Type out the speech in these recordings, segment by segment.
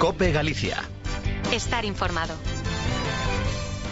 COPE Galicia. Estar informado.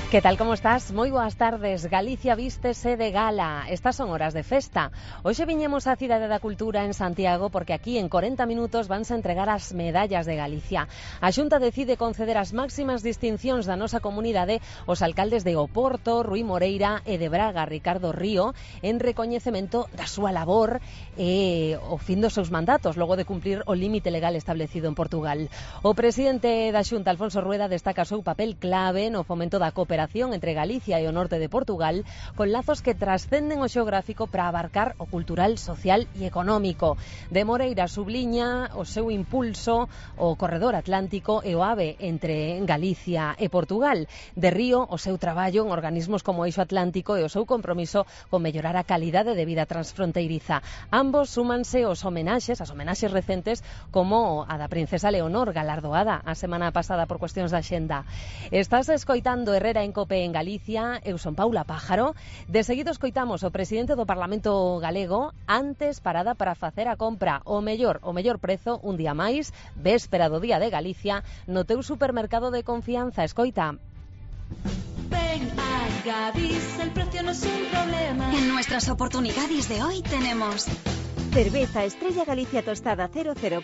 Que tal, como estás? Moi boas tardes. Galicia vístese de gala. Estas son horas de festa. Hoxe viñemos á Cidade da Cultura en Santiago porque aquí en 40 minutos vanse entregar as medallas de Galicia. A Xunta decide conceder as máximas distincións da nosa comunidade aos alcaldes de Oporto, Rui Moreira e de Braga, Ricardo Río, en recoñecemento da súa labor e o fin dos seus mandatos, logo de cumplir o límite legal establecido en Portugal. O presidente da Xunta, Alfonso Rueda, destaca o seu papel clave no fomento da cooperación entre Galicia e o norte de Portugal, con lazos que trascenden o xeográfico para abarcar o cultural, social e económico. De Moreira subliña o seu impulso o corredor atlántico e o AVE entre Galicia e Portugal. De Río, o seu traballo en organismos como o Eixo Atlántico e o seu compromiso con mellorar a calidade de vida transfronteiriza. Ambos súmanse os homenaxes, as homenaxes recentes, como a da princesa Leonor, galardoada a semana pasada por cuestións da xenda. Estás escoitando Herrera en COPE en Galicia. Eu son Paula Pájaro. De seguido escoitamos o presidente do Parlamento galego, antes parada para facer a compra o mellor prezo un día máis, véspera do Día de Galicia, no teu supermercado de confianza. Escoita. Ven a Gadis, el precio no es un problema. En nuestras oportunidades de hoy tenemos cerveza Estrella Galicia tostada 00%,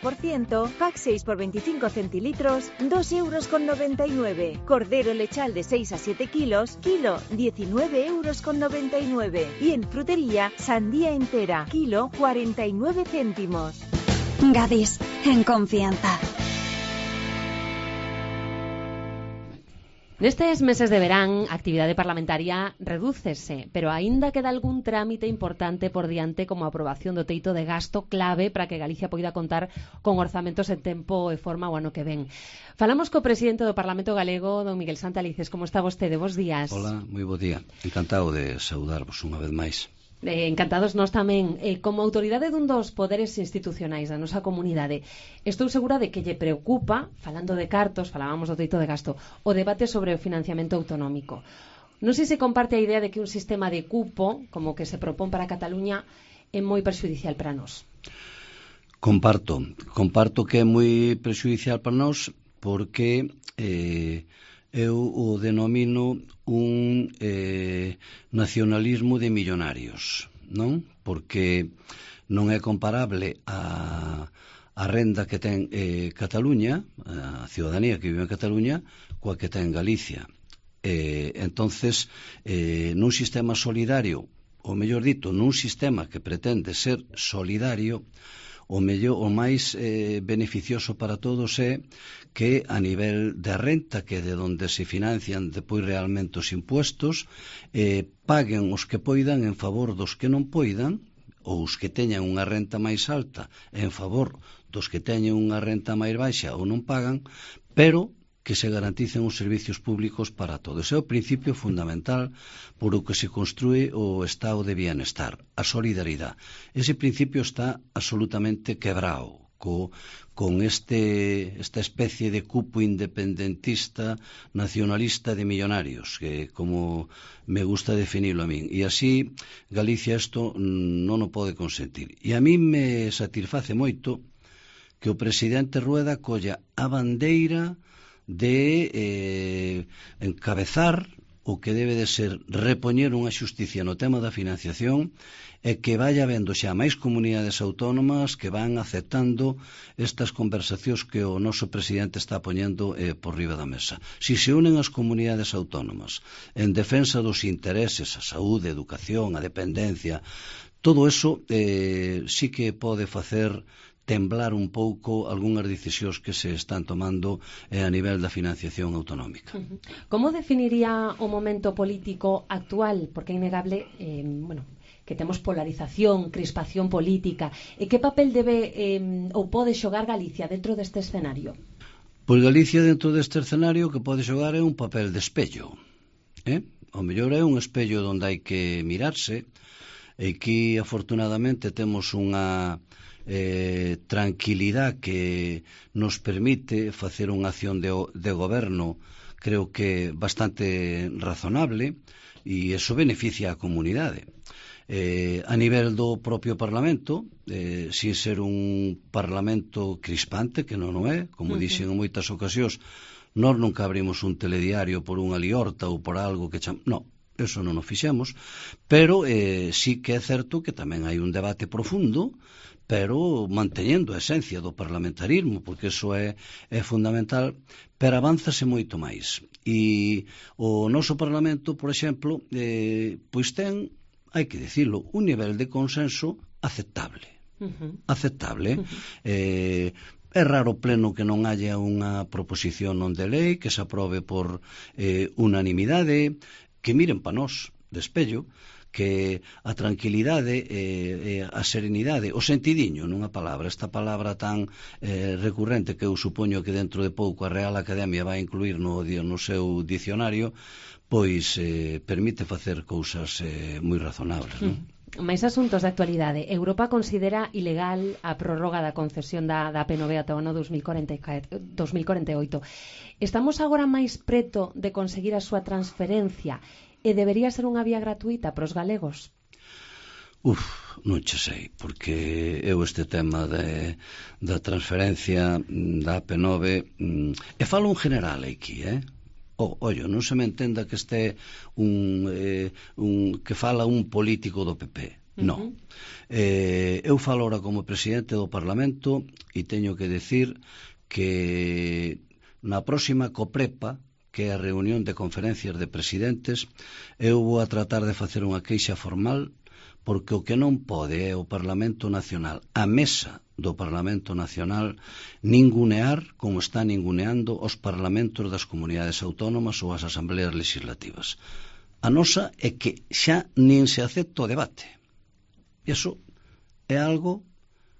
pack 6 por 25 centilitros, 2,99 €. Cordero lechal de 6 a 7 kilos, kilo 19,99 €. Y en frutería, sandía entera, kilo 49 céntimos. Gadis, en confianza. Nestes meses de verán, a actividade parlamentaria redúcese, pero aínda queda algún trámite importante por diante, como a aprobación do teito de gasto clave para que Galicia poida contar con orzamentos en tempo e forma o ano que ven. Falamos co presidente do Parlamento galego, don Miguel Santalices. Como está vostede? Bos días. Hola, moi bo día. Encantado de saudarvos unha vez máis. Encantados nós tamén. Como autoridade dun dos poderes institucionais da nosa comunidade, estou segura de que lle preocupa, falando de cartos, falábamos do teito de gasto, o debate sobre o financiamento autonómico. Non sei se comparte a idea de que un sistema de cupo, como que se propón para Cataluña, é moi perxudicial para nós. Comparto que é moi perxudicial para nós porque eu o denomino un nacionalismo de millonarios, non? Porque non é comparable a renda que ten Cataluña, a ciudadanía que vive en Cataluña, coa que ten Galicia. Entonces, nun sistema solidario, ou mellor dito, nun sistema que pretende ser solidario, o máis beneficioso para todos é que a nivel de renta, que é de onde se financian depois realmente os impuestos, paguen os que poidan en favor dos que non poidan, ou os que teñan unha renta máis alta en favor dos que teñen unha renta máis baixa ou non pagan, pero que se garanticen os servicios públicos para todos. Ese é o principio fundamental por o que se construe o estado de bienestar, a solidaridade. Ese principio está absolutamente quebrado con esta especie de cupo independentista, nacionalista de millonarios, que como me gusta definirlo a min. E así Galicia isto non o pode consentir. E a mí me satisface moito que o presidente Rueda colla a bandeira de encabezar o que debe de ser repoñer unha xusticia no tema da financiación e que vaya vendo xa máis comunidades autónomas que van aceptando estas conversacións que o noso presidente está poñendo por riba da mesa. Si se unen as comunidades autónomas en defensa dos intereses, a saúde, a educación, a dependencia, todo eso sí que pode facer temblar un pouco algunhas decisións que se están tomando a nivel da financiación autonómica. Como definiría o momento político actual? Porque é innegable, que temos polarización, crispación política. E que papel debe ou pode xogar Galicia dentro deste escenario? Pois Galicia dentro deste escenario que pode xogar é un papel de espello. O mellor é un espello onde hai que mirarse, e aquí afortunadamente temos unha tranquilidade que nos permite facer unha acción de goberno, creo que bastante razonable, e eso beneficia a comunidade. A nivel do propio Parlamento, si ser un Parlamento crispante, que non o é, como dixen en moitas ocasións, nós nunca abrimos un telediario por unha liorta ou por algo que non, eso non o fixemos, pero sí que é certo que tamén hai un debate profundo, pero manteñendo a esencia do parlamentarismo, porque iso é fundamental, pero avánzase moito máis. E o noso Parlamento, por exemplo, pois ten, hai que dicilo, un nivel de consenso aceptable. Aceptable. É raro pleno que non haya unha proposición non de lei que se aprobe por unanimidade, que miren pa nós de espello, que a tranquilidade, a serenidade, o sentidiño, nunha palabra, esta palabra tan recurrente que eu supoño que dentro de pouco a Real Academia vai incluir no seu dicionario, pois permite facer cousas moi razonables, non? Máis asuntos de actualidade. Europa considera ilegal a prórroga da concesión da P9 ata o ano 2048. Estamos agora máis preto de conseguir a súa transferencia e debería ser unha vía gratuita para os galegos? Non che sei, porque eu este tema da transferencia da AP9 e falo en general aquí, ollo, non se me entenda que este que fala un político do PP, non. Eu falo ahora como presidente do Parlamento e teño que decir que na próxima COPREPA, que é a reunión de conferencias de presidentes, eu vou a tratar de facer unha queixa formal, porque o que non pode é o Parlamento Nacional, a mesa do Parlamento Nacional, ningunear, como está ninguneando, os parlamentos das comunidades autónomas ou as asambleas legislativas. A nosa é que xa nin se acepta o debate. Iso é algo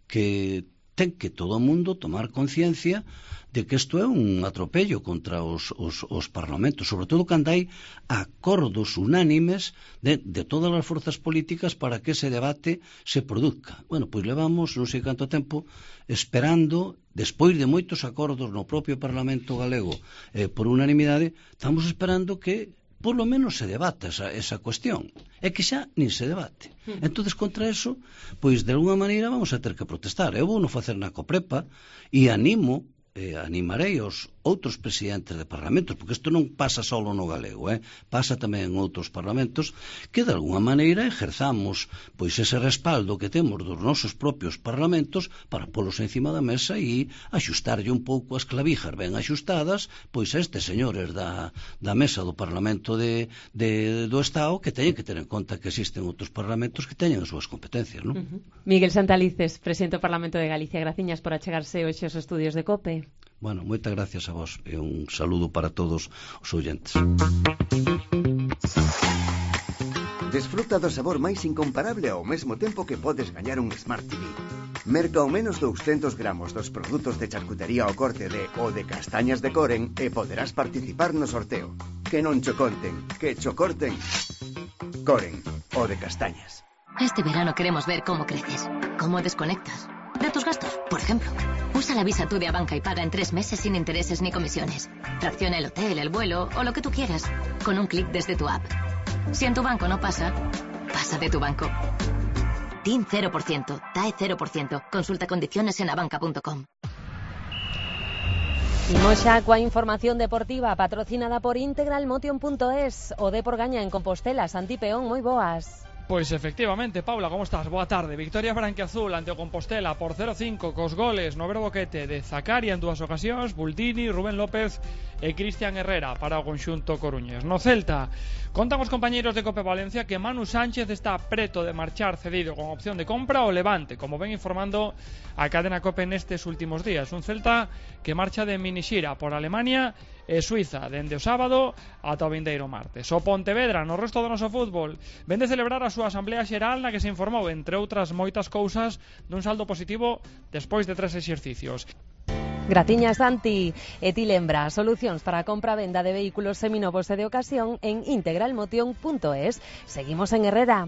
que ten que todo o mundo tomar conciencia de que isto é un atropello contra os parlamentos, sobre todo cando hai acordos unánimes de todas as forzas políticas para que ese debate se produzca. Bueno, pois levamos non sei canto tempo esperando, despois de moitos acordos no propio Parlamento galego por unanimidade, estamos esperando que por lo menos se debata esa cuestión. É que xa nin se debate. Entonces, contra eso, pois de alguna maneira vamos a ter que protestar. Eu vou non facer na COPREPA e animarei os outros presidentes de parlamentos, porque isto non pasa só no galego, pasa tamén en outros parlamentos, que de alguna maneira exerzamos pois ese respaldo que temos dos nosos propios parlamentos para polos encima da mesa e axustarlle un pouco as clavijas ben axustadas pois a estes señores da mesa do Parlamento do Estado, que teñen que ter en conta que existen outros parlamentos que teñen as súas competencias, non? Miguel Santalices, presidente do Parlamento de Galicia, graciñas por achegarse hoxe aos estudios de COPE. Bueno, moitas gracias a vos e un saludo para todos os oyentes. Desfruta do sabor máis incomparable ao mesmo tempo que podes gañar un Smart TV. Merca ao menos 200 gramos dos produtos de charcutería ao corte o de castañas de Coren e poderás participar no sorteo. Que non cho conten, que cho corten. Coren, o de castañas. Este verano queremos ver cómo creces, cómo desconectas de tus gastos, por ejemplo. Usa la Visa Tú de Abanca y paga en 3 meses sin intereses ni comisiones. Fracciona el hotel, el vuelo o lo que tú quieras, con un clic desde tu app. Si en tu banco no pasa, pasa de tu banco. TIN 0%, TAE 0%. Consulta condiciones en abanca.com. Imos xa coa información deportiva patrocinada por integralmotion.es. O Depor gaña en Compostela. Santi Peón, moi boas. Pois efectivamente, Paula, como estás? Boa tarde. Victoria branquiazul ante o Compostela por 0-5 cos goles no verbo boquete de Zakaria en 2 ocasións, Bultini, Rubén López e Cristian Herrera para o conxunto coruñés. No Celta, contan os compañeiros de Cope Valencia que Manu Sánchez está preto de marchar cedido con opción de compra ao Levante, como ven informando a cadena Cope nestes últimos días. Un Celta que marcha de minixira por Alemania e Suiza dende o sábado ata o vindeiro martes. O Pontevedra, no resto do noso fútbol, ven de celebrar a súa asamblea xeral na que se informou, entre outras moitas cousas, dun saldo positivo despois de 3 exercicios. Gratiña, Santi. E ti lembra, solucións para a compra-venda de vehículos seminovos e de ocasión en integralmotion.es. Seguimos en Herrera.